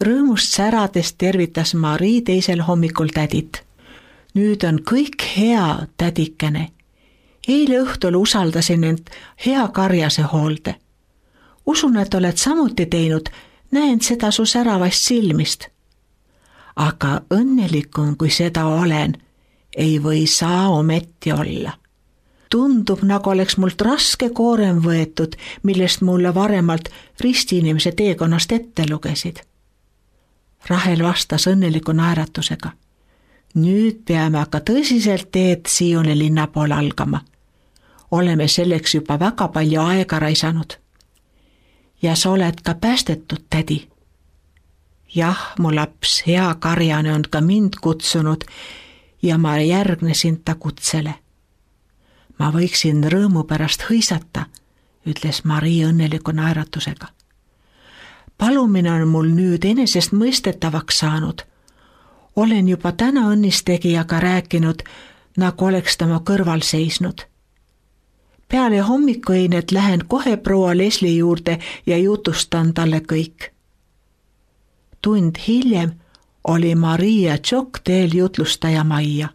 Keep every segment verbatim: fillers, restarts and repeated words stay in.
Rõõmust särades tervitas Marii teisel hommikul tädit. Nüüd on kõik hea, tädikene. Eile õhtul usaldasin end hea karjase hoolde. Usun, et oled samuti teinud, näen seda su säravast silmist. Aga õnnelikum, kui seda olen, ei või saa ometi olla. Tundub, nagu oleks mult raske koorem võetud, millest mulle varemalt ristiinimese teekonnast ette lugesid. Rahel vastas õnneliku naeratusega. Nüüd peame aga tõsiselt teed Sioni linna poole algama. Oleme selleks juba väga palju aega raisanud. Ja sa oled ka päästetud, tädi. Jah, mu laps, hea karjane on ka mind kutsunud ja ma järgnesin ta kutsele. Ma võiksin rõõmu pärast hõisata, ütles Marii õnneliku naeratusega. Palumine on mul nüüd enesest mõistetavaks saanud. Olen juba täna õnnistegijaga rääkinud, nagu oleks ta mu kõrval seisnud. Peale hommikueinet lähen kohe proua Leslie juurde ja jutustan talle kõik. Tund hiljem oli Marii ja Jock teel jutlustaja majja.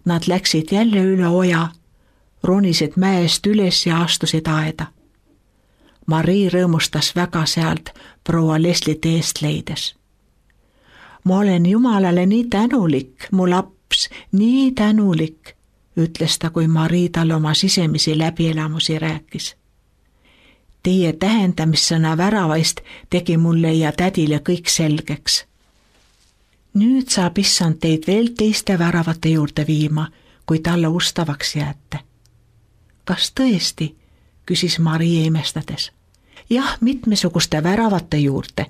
Nad läksid jälle üle oja, ronisid mäest üles ja astusid aeda. Marii rõõmustas väga sealt proua Leslie teest leides. Ma olen Jumalale nii tänulik, mu laps, nii tänulik, ütles ta, kui Marii talle oma sisemisi läbielamusi rääkis. Teie tähendamissõna väravaist tegi mulle ja tädile kõik selgeks. Nüüd saab issand teid veel teiste väravate juurde viima, kui talle ustavaks jääte. Kas tõesti, küsis Marii imestades. Jah, mitmesuguste väravate juurde.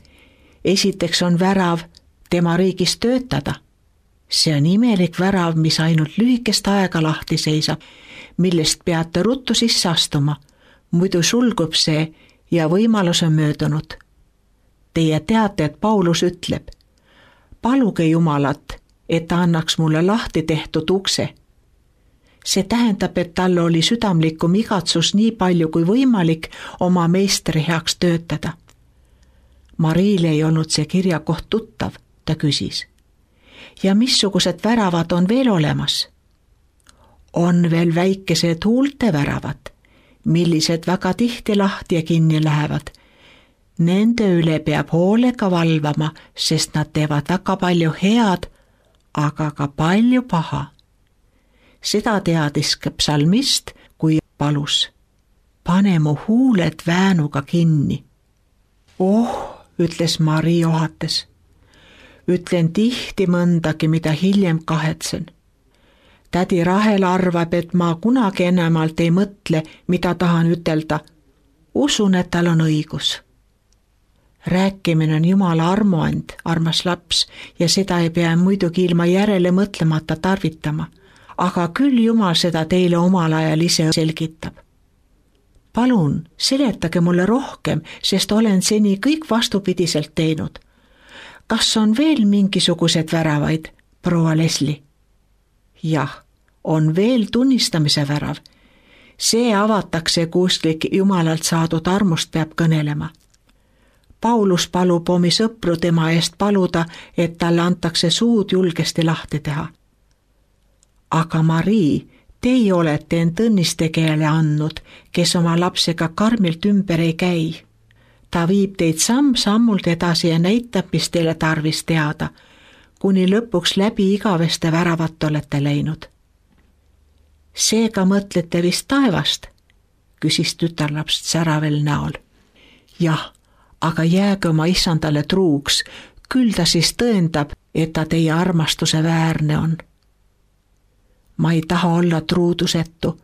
Esiteks on värav tema riigis töötada. See on imelik värav, mis ainult lühikest aega lahti seisab, millest peate ruttu sisse astuma. Muidu sulgub see ja võimalus on möödunud. Teie teate, et Paulus ütleb, paluge Jumalat, et ta annaks mulle lahti tehtud ukse. See tähendab, et talle oli südamlikum igatsus nii palju kui võimalik oma meistri heaks töötada. Mariile ei olnud see kirjakoht tuttav, ta küsis. Ja missugused väravad on veel olemas? On veel väikesed huulte väravad, millised väga tihti lahti ja kinni lähevad. Nende üle peab hoolega valvama, sest nad teevad väga palju head, aga ka palju paha. Seda teadis ka psalmist, kui palus. Pane mu huuled väänuga kinni. Oh, ütles Marii ohates. Ütlen tihti mõndagi, mida hiljem kahetsen. Tädi Rahel arvab, et ma kunagi enamalt ei mõtle, mida tahan ütelda. Usun, et tal on õigus. Rääkimine on Jumala armuand, armas laps, ja seda ei pea muidugi ilma järele mõtlemata tarvitama. Aga küll Jumal seda teile omal ajal ise selgitab. Palun, seletage mulle rohkem, sest olen seni kõik vastupidiselt teinud. Kas on veel mingisugused väravaid, proua Leslie? Jah, on veel tunnistamise värav. See avatakse kuskil Jumalalt saadud armust peab kõnelema. Paulus palub omi sõpru tema eest paluda, et talle antakse suud julgesti lahti teha. Aga Marii, teie olete end õnnistegijale andnud, kes oma lapsega karmilt ümber ei käi. Ta viib teid samm-sammult edasi ja näitab, mis teile tarvis teada, kuni lõpuks läbi igaveste väravat olete läinud. Seega mõtlete vist taevast, küsis tütarlaps säravel näol. Jah, aga jääge oma issandale truuks, küll ta siis tõendab, et ta teie armastuse väärne on. Ma ei taha olla truudusetu,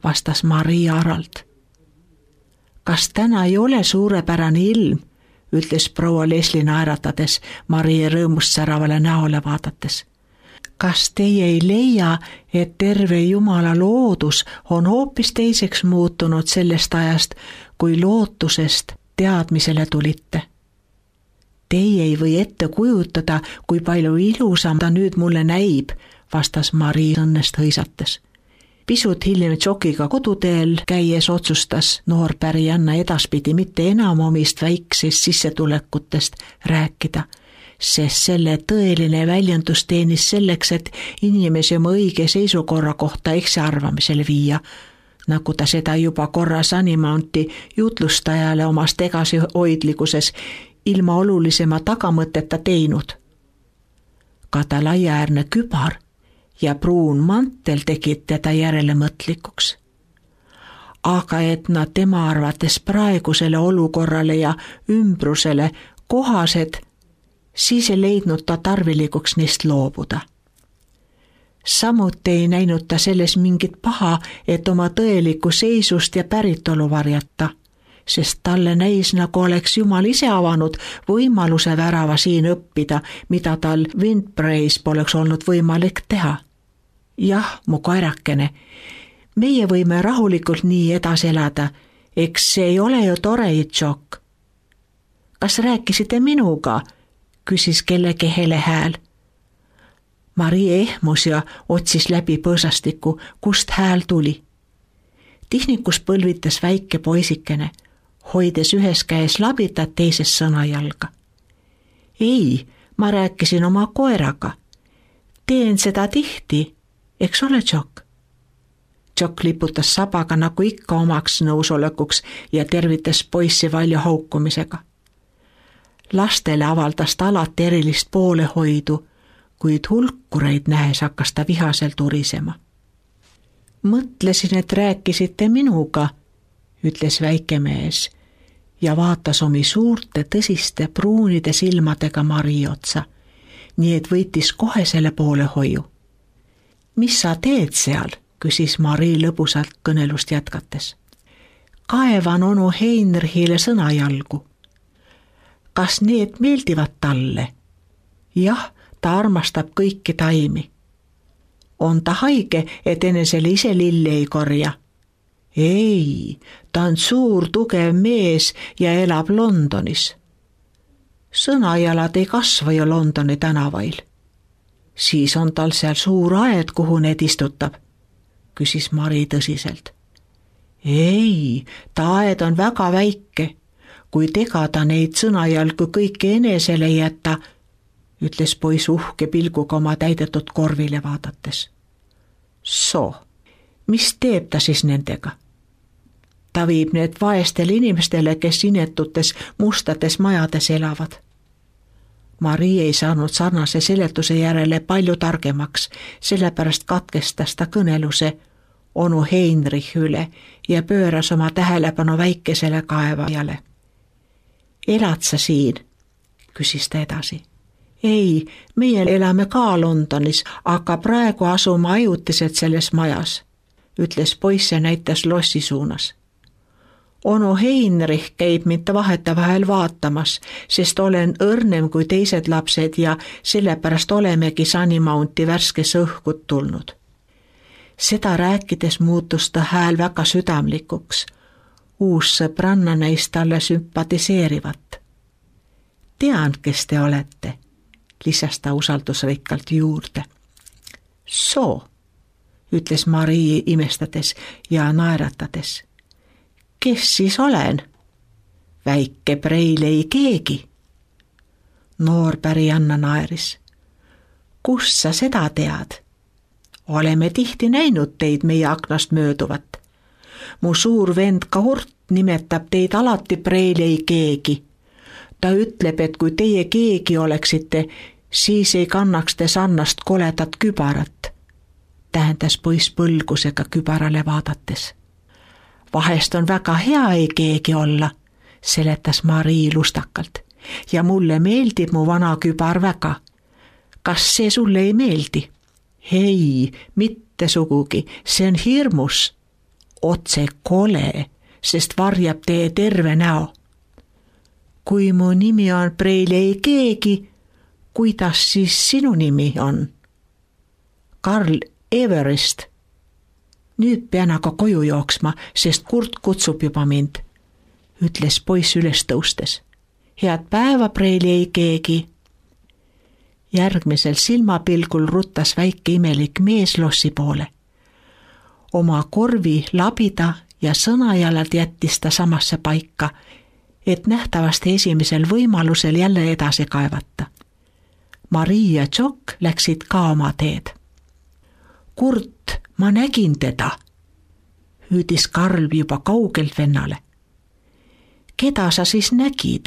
vastas Marii aralt. Kas täna ei ole suurepärane ilm, ütles proua Leslie naeratades Marie rõõmust säravale näole vaadates. Kas teie ei leia, et terve Jumala loodus on hoopis teiseks muutunud sellest ajast, kui lootusest teadmisele tulite? Teie ei või ette kujutada, kui palju ilusam ta nüüd mulle näib, vastas Marii õnnest hõisates. Pisut hiljem Jokiga koduteel käies otsustas noorpärijanna edaspidi mitte enam omist väiksest sissetulekutest rääkida, sest selle tõeline väljendus teenis selleks, et inimesi oma õige seisukorra kohta eksiarvamisele viia, nagu ta seda juba korra Sunnymounti jutlustajale omas tagasihoidlikuses ilma olulisema tagamõteta teinud. Ka ta laiaäärne kübar ja pruun mantel tegid teda järelemõtlikuks. Aga et nad tema arvates praegusele olukorrale ja ümbrusele kohased, siis ei leidnud ta tarvilikuks neist loobuda. Samuti ei näinud ta selles mingit paha, et oma tõelikku seisust ja päritolu varjata, sest talle näis, nagu oleks Jumal ise avanud võimaluse värava siin õppida, mida tal Windbraes poleks olnud võimalik teha. Jah, mu koerakene, meie võime rahulikult nii edasi elada, eks see ei ole ju tore, Jock. Kas rääkisite minuga? Küsis kellegi hele hääl. Marie ehmus ja otsis läbi põõsastiku, kust hääl tuli. Tihnikus põlvitas väike poisikene, hoides ühes käes labitat teises sõnajalga. Ei, ma rääkisin oma koeraga. Teen seda tihti, eks ole, Jock? Jock liputas sabaga nagu ikka omaks nõusolekuks ja tervitas poissi valju haukumisega. Lastele avaldas ta alati erilist poolehoidu, kuid hulkureid nähes hakkas ta vihaselt urisema. Mõtlesin, et rääkisite minuga, ütles väike mees ja vaatas omi suurte tõsiste pruunide silmadega Marie otsa, nii et võitis kohe selle poolehoiu. Mis sa teed seal? Küsis Marie lõbusalt kõnelust jätkates. Kaevan onu Heinrichile sõnajalgu. Kas need meeldivad talle? Jah, ta armastab kõiki taimi. On ta haige, et enesele ise lilli ei korja? Ei, ta on suur tugev mees ja elab Londonis. Sõnajalad ei kasva ju Londoni tänavail. Siis on tal seal suur aed, kuhu need istutab, küsis Mari tõsiselt. Ei, ta aed on väga väike. Kui tegada neid sõnajalgu kõiki enesele jätta, ütles poiss uhke pilguga oma täidetud korvile vaadates. So, mis teeb ta siis nendega? Ta viib need vaestele inimestele, kes inetutes mustades majades elavad. Mari ei saanud sarnase seletuse järele palju targemaks, sellepärast katkestas ta kõneluse onu Heinrich üle ja pööras oma tähelepanu väikesele kaevajale. Elad sa siin? Küsis ta edasi. Ei, meie elame ka Londonis, aga praegu asume ajutiselt selles majas, ütles poiss ja näitas lossi suunas. Onu Heinrich käib mind vahetevahel vaatamas, sest olen õrnem kui teised lapsed ja sellepärast olemegi Sunnymounti värskes õhkud tulnud. Seda rääkides muutus ta hääl väga südamlikuks. Uus sõbranna neist talle sümpatiseerivat. Tean, kes te olete, lisas ta usaldusrikkalt juurde. So, ütles Marie imestades ja naeratades. Kes siis olen? Väike Preil ei keegi. Noorpärijanna naeris. Kust sa seda tead? Oleme tihti näinud teid meie aknast mööduvat. Mu suur vend Kahurt nimetab teid alati Preil ei keegi. Ta ütleb, et kui teie keegi oleksite, siis ei kannaks te sarnast koledat kübarat, tähendas poiss põlgusega kübarale vaadates. Vahest on väga hea ei keegi olla, seletas Marie lustakalt, ja mulle meeldib mu vana kübar väga. Kas see sulle ei meeldi? Hei, mitte sugugi, see on hirmus. Otse kole, sest varjab teie terve näo. Kui mu nimi on Preil ei keegi, kuidas siis sinu nimi on? Karl Everest. Nüüd pean aga koju jooksma, sest Kurt kutsub juba mind, ütles poiss üles tõustes. Head päeva, Preil ei keegi. Järgmisel silmapilgul ruttas väike imelik mees lossi poole. oma korvi labida ja sõnajalad jättis ta samasse paika, et nähtavasti esimesel võimalusel jälle edasi kaevata. Marii ja Jock läksid ka oma teed. Kurt, ma nägin teda, hüüdis Karl juba kaugelt vennale. Keda sa siis nägid?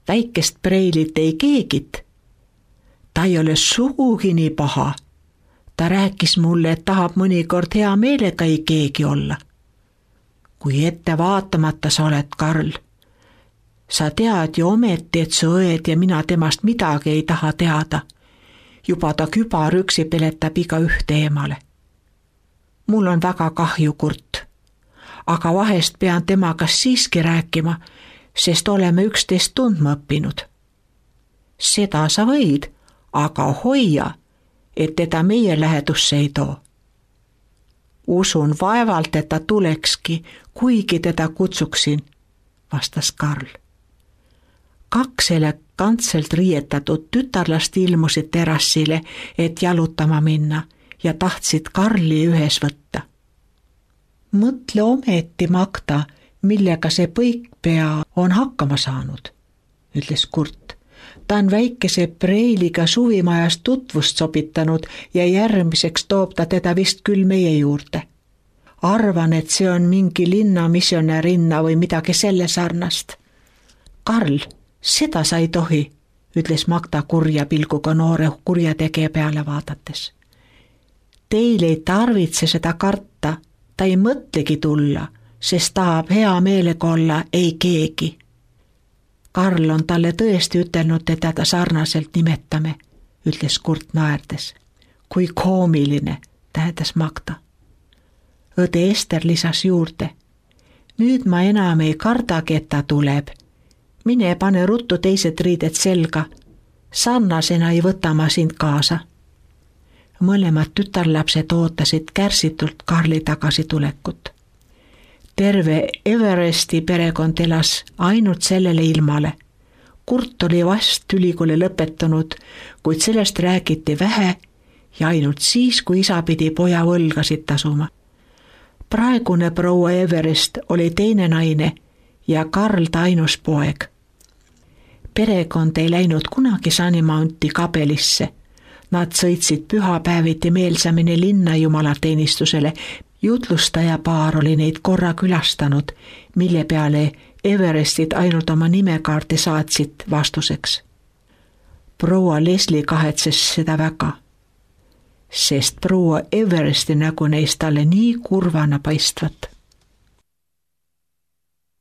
Väikest Breilit ei keegit. Ta ei ole sugugi nii paha. Ta rääkis mulle, et tahab mõnikord hea meelega ei keegi olla. Kui ette vaatamata sa oled, Karl. Sa tead ju ometi, et su õed ja mina temast midagi ei taha teada. Juba ta kübarüksi peletab iga ühte eemale. Mul on väga kahju, Kurt. Aga vahest pean temaga siiski rääkima, sest oleme üksteist tundma õppinud. Seda sa võid, aga hoia, et teda meie lähedusse ei too. Usun vaevalt, et ta tulekski, kuigi teda kutsuksin, vastas Karl. Kaks elegantselt riietatud tütarlast ilmusid terrassile, et jalutama minna ja tahtsid Karli ühes võtta. Mõtle ometi, Magda, millega see põikpea on hakkama saanud, ütles Kurt. Ta on väikese Breiliga suvimajas tutvust sobitanud ja järgmiseks toob ta teda vist küll meie juurde. Arvan, et see on mingi linna missionärinna või midagi selle sarnast. Karl, seda sa ei tohi, ütles Magda kurja pilguga noore kurjategija peale vaadates. Teil ei tarvitse seda karta, ta ei mõtlegi tulla, sest tahab hea meelega olla ei keegi. Karl on talle tõesti ütelnud, et teda sarnaselt nimetame, ütles Kurt naerdes. Kui koomiline, tähendas Magda. Õde Ester lisas juurde. Nüüd ma enam ei kardagi, et ta tuleb. Mine pane ruttu teised riided selga. Sarnasena ei võta ma sind kaasa. Mõlemad tütarlapsed ootasid kärsitult Karli tagasitulekut. Terve Everesti perekond elas ainult sellele ilmale. Kurt oli vast ülikooli lõpetanud, kuid sellest räägiti vähe ja ainult siis, kui isa pidi poja võlgasid tasuma. Praegune proua Everest oli teine naine ja Karl ta ainus poeg. Perekond ei läinud kunagi Sunnymounti kabelisse. Nad sõitsid pühapäeviti meelsamini linna jumalateenistusele. Jutlustaja paar oli neid korra külastanud, mille peale Everestid ainult oma nimekaarti saatsid vastuseks. Proua Leslie kahetses seda väga, sest proua Everesti nägu neist talle nii kurvana paistvat.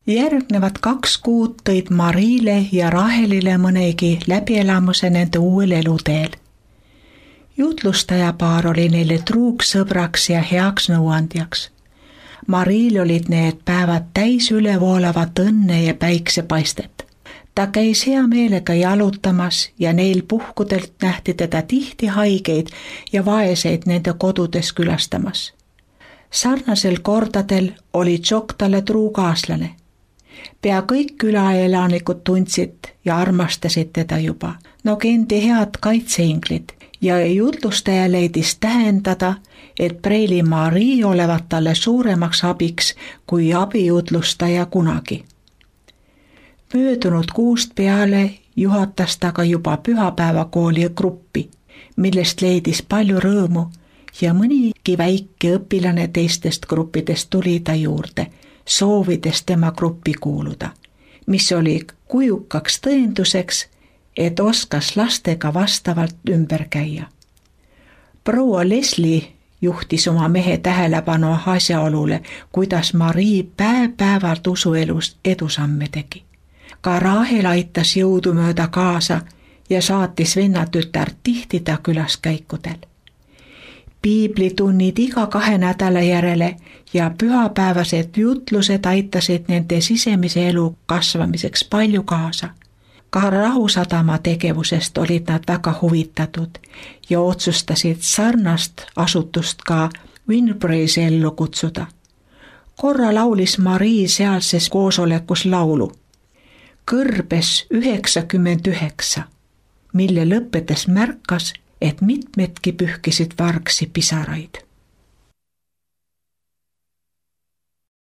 Järgnevad kaks kuud tõid Mariile ja Rahelile mõnegi läbielamuse nende uuel eluteel. Jutlustaja paar oli neile truuks sõbraks ja heaks nõuandjaks. Mariil olid need päevad täis ülevoolavat õnne ja päiksepaistet. Ta käis hea meelega jalutamas ja neil puhkudelt nähti teda tihti haigeid ja vaeseid nende kodudes külastamas. Sarnasel kordadel oli Jock talle truukaaslane. Pea kõik külaelanikud tundsid ja armastasid teda juba, nagu endi head kaitseinglid. Ja jutlustaja leidis tähendada, et Breili Marii olevat talle suuremaks abiks kui abijutlustaja kunagi. Möödunud kuust peale juhatas ta ka juba pühapäevakooli gruppi, millest leidis palju rõõmu ja mõnigi väike õpilane teistest gruppidest tuli ta juurde, soovides tema gruppi kuuluda, mis oli kujukaks tõenduseks, et oskas lastega vastavalt ümber käia. Proua Leslie juhtis oma mehe tähelepanu asjaolule, kuidas Marii päev-päevalt usuelus edusamme tegi. Ka Rahel aitas jõudumööda kaasa ja saatis vennatütar tihti ta külaskäikudel. Piiblitunnid iga kahe nädala järele ja pühapäevased jutlused aitasid nende sisemise elu kasvamiseks palju kaasa. Ka Rahusadama tegevusest olid nad väga huvitatud ja otsustasid sarnast asutust ka Winbrays ellu kutsuda. Korra laulis Marii sealses koosolekus laulu Kõrbes üheksakümmend üheksa, mille lõppedes märkas, et mitmedki pühkisid vargsi pisaraid.